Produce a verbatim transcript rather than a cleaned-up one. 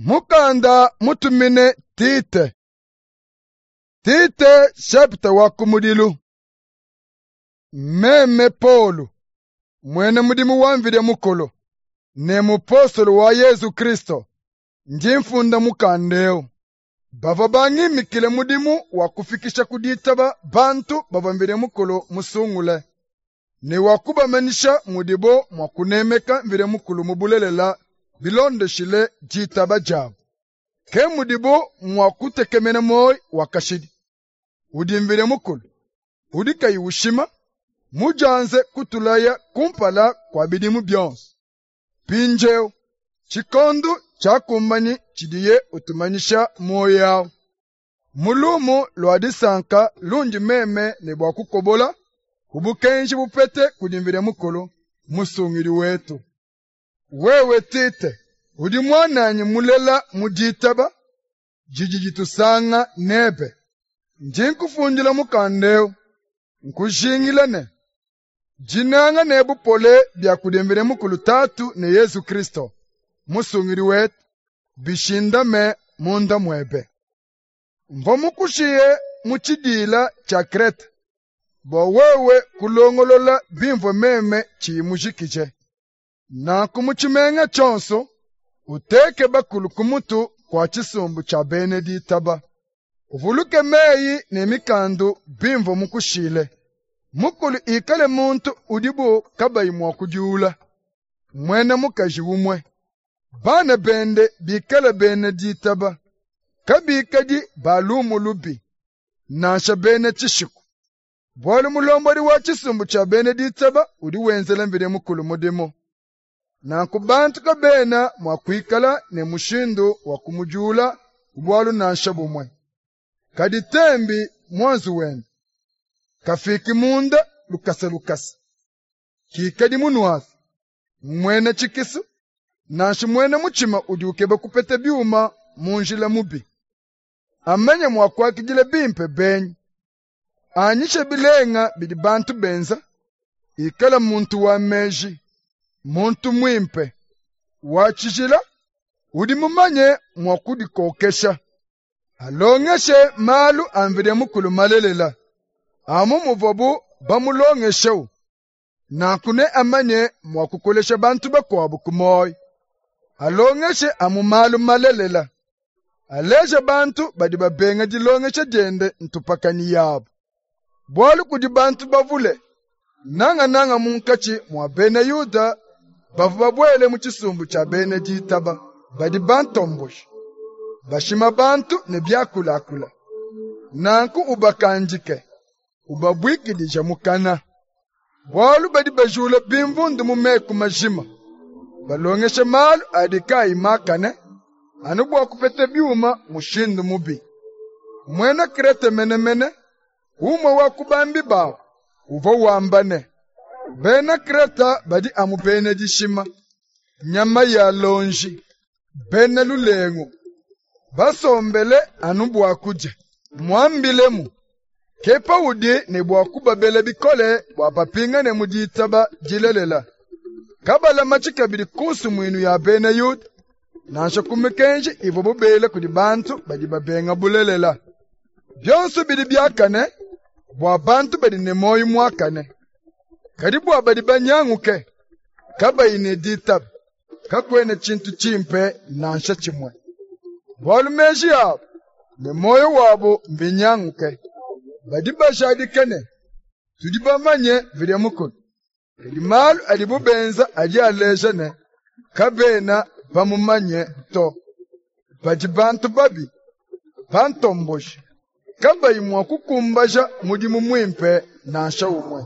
Mukanda mutumine Tite. Tite chapitre wa kumudilu. Meme Paulo, mwene mudimu wa Mvidi Mukulu, ne mupostolo wa Yesu Kristo, ndi mfunda mukanda eu. Bavua bangimikile mudimu wa kufikisha ku ditaba bantu bavua Mvidi Mukulu musungule, ne wa kubamanyisha mudibo mua kunemeka Mvidi Mukulu mu bulelela bilondeshile ditaba diabu. Ke mudibo mua kutekemena muoyo wa kashidi, udi Mvidi Mukulu, udi kayi ushima, mudianze kutulaya kumpala kua bidimu bionso. Mpindieu tshikondo tshiakumbanyi tshidiye utumanyisha muoyo awu. Mu lumu lua disanka lundi meme ne bua kukobola ku bukenji bupete kudi Mvidi Mukulu musungidi wetu. Wewe Tite, udi muananyi mulela mu ditaba didi ditusanga nebe. Ndi nkufundila mukanda eu, nkujingila ne dinanga ne bupole bia kudi Mvidi Mukulu Tatu ne Yesu Kristo musungidi wetu bishindame munda muebe. Mvua mukushiye mu tshidila tshia Krete bua wewe kulongolola bimvua meme tshiyi mujikije. Nanku mu tshimenga tshionso uteke bakulu ku mutu kua tshisumbu tshia bena ditaba. Uvuluke meyi ne mikandu bimvua mukushile. Mukulu ikale muntu udibo kabayi mua kudiula, muena mukaji umue. Bana bende bikale bena ditaba, kabikadi ba lumu lubi, nansha bena tshishiku. Bualu mulombodi wa tshisumbu tshia bena ditaba udi wenzela Mvidi Mukulu mudimu. Nanku bantu kabena mua kuikala ne mushindu wa kumudiula bualu nansha bumue. Kadi tembi muanzu wende, kafiki munda lukasa lukasa. Kikadi munuafi, muena tshikisu, nansha muena mutshima udi ukeba kupeta biuma mu njila mubi. Amanye mua kuakidila bimpe benyi, anyishe bilenga bidi bantu benza, ikala muntu wa meji, muntu muimpe, wa tshijila, udi mumanye mua kudikokesha. Alongeshe malu a Mvidi Mukulu malelela, amu muvuabu bamulongeshewu. Nanku ne amanye mua kukolesha bantu bakuabu ku muoyo. Alongeshe amu malu malelela, aleje bantu badi babenga dilongesha diende ntupakanyi yabu. Bualu kudi bantu bavule, nangananga munkatshi mua bena Yuda bavua babuele mu tshisumbu tshia bena ditaba, badi bantomboji, bashima bantu ne biakulakula. Nanku ubakandike, ubabuikidija mukana. Bualu badi bajula bimvundu mu meku majima, balongesha malu adi kayi makane, anu bua kupeta biuma mushindu mubi. Muena Krete menemene, umue wa ku bambi babu, uvua wamba ne, bena Kreta badi amu bena dishima, nyama ya lonji, bena lulengu, basombele anu bua kudia. Muambilemu, ke paudi ne bua kubabela bikole bua bapingane mu ditaba dilelela. Kabalamatshi kabidi ku nsumuinu ya bena Yuda, nansha ku mikenji ivuabu bela kudi bantu badi babenga bulelela. Bionso bidi biakane bua bantu badi ne muoyo muakane, kadi bua badi banyanguke, kabayi ne ditaba, kakuena tshintu tshimpe nansha tshimue. Bualu meji abu ne muoyo wabu mbinyanguke. Badi bajadika ne tudi bamanye Mvidi Mukulu, kadi malu adibu benza adi aleja ne kabena bamumanye to. Badi bantu babi, bantomboji, kabayi mua kukumbaja mudimu muimpe nansha umue.